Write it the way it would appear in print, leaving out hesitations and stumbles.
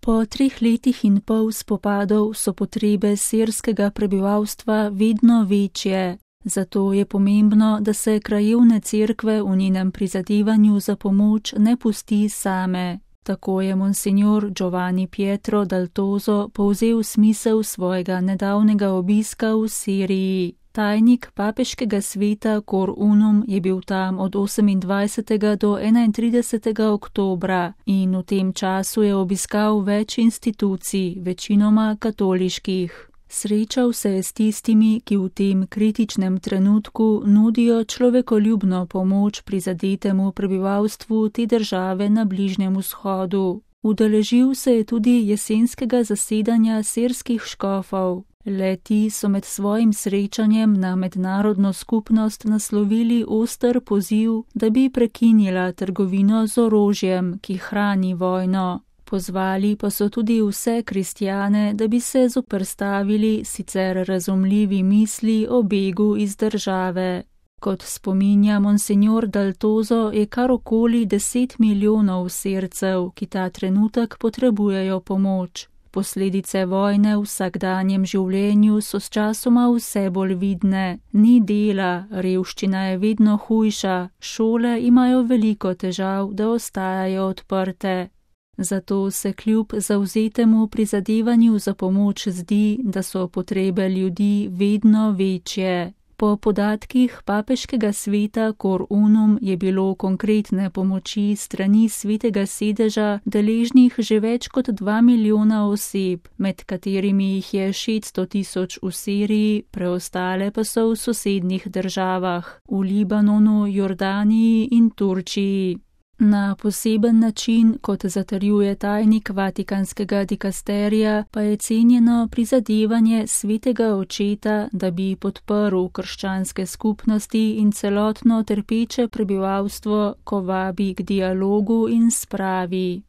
Po 3 letih in pol spopadov so potrebe sirskega prebivalstva vedno večje. Zato je pomembno, da se krajevne cerkve v njenem prizadevanju za pomoč ne pusti same. Tako je monsignor Giovanni Pietro dal Toso povzel smisel svojega nedavnega obiska v Siriji. Tajnik papeškega sveta Cor Unum je bil tam od 28. do 31. oktobra in v tem času je obiskal več institucij, večinoma katoliških. Srečal se je s tistimi, ki v tem kritičnem trenutku nudijo človekoljubno pomoč prizadetemu prebivalstvu te države na Bližnjem vzhodu. Udeležil se je tudi jesenskega zasedanja sirskih škofov. Le-ti so med svojim srečanjem na mednarodno skupnost naslovili oster poziv, da bi prekinila trgovino z orožjem, ki hrani vojno. Pozvali pa so tudi vse kristjane, da bi se zoperstavili sicer razumljivi misli o begu iz države. Kot spominja monsignor dal Toso, je kar okoli 10 milijonov Sircev, ki ta trenutek potrebujejo pomoč. Posledice vojne v vsakdanjem življenju so sčasoma vse bolj vidne. Ni dela, revščina je vedno hujša, šole imajo veliko težav, da ostajajo odprte. Zato se kljub zavzetemu prizadevanju za pomoč zdi, da so potrebe ljudi vedno večje. Po podatkih papeškega sveta Cor Unum je bilo konkretne pomoči strani svetega sedeža deležnih že več kot 2 milijona oseb, med katerimi jih je 600 tisoč v Siriji, preostale pa so v sosednjih državah, v Libanonu, Jordaniji in Turčiji. Na poseben način, kot zatrjuje tajnik Vatikanskega dikasterija, pa je cenjeno prizadevanje svetega očeta, da bi podprl krščanske skupnosti in celotno trpeče prebivalstvo, ko vabi k dialogu in spravi.